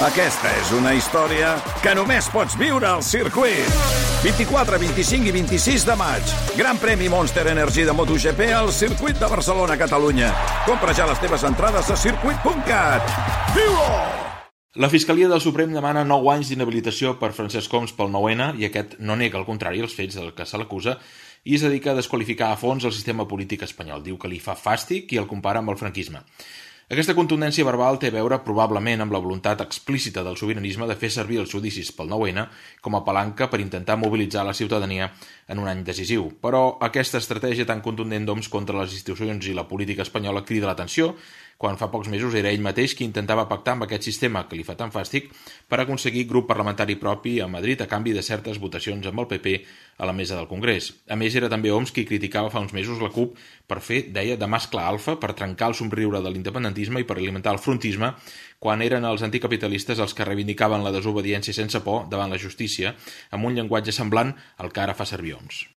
Aquesta és una història que només pots viure al circuit. 24, 25 i 26 de maig. Gran premi Monster Energy de MotoGP al circuit de Barcelona, Catalunya. Compra ja les teves entrades a circuit.cat. Viu-ho! La Fiscalia del Suprem demana 9 anys d'inhabilitació per Francesc Homs pel 9-N i aquest no nega, al contrari, els fets del que se l'acusa i es dedica a desqualificar a fons el sistema polític espanyol. Diu que li fa fàstic i el compara amb el franquisme. Aquesta contundència verbal té a veure probablement amb la voluntat explícita del sobiranisme de fer servir els judicis pel 9-N com a palanca per intentar mobilitzar la ciutadania en un any decisiu. Però aquesta estratègia tan contundent d'Homs contra les institucions i la política espanyola crida l'atenció quan fa pocs mesos era ell mateix qui intentava pactar amb aquest sistema que li fa tan fàstic per aconseguir grup parlamentari propi a Madrid a canvi de certes votacions amb el PP a la mesa del Congrés. A més, era també Homs qui criticava fa uns mesos la CUP per fer, deia, de mascle alfa, per trencar el somriure de l'independentisme i per alimentar el frontisme quan eren els anticapitalistes els que reivindicaven la desobediència sense por davant la justícia amb un llenguatge semblant al que ara fa servir Homs.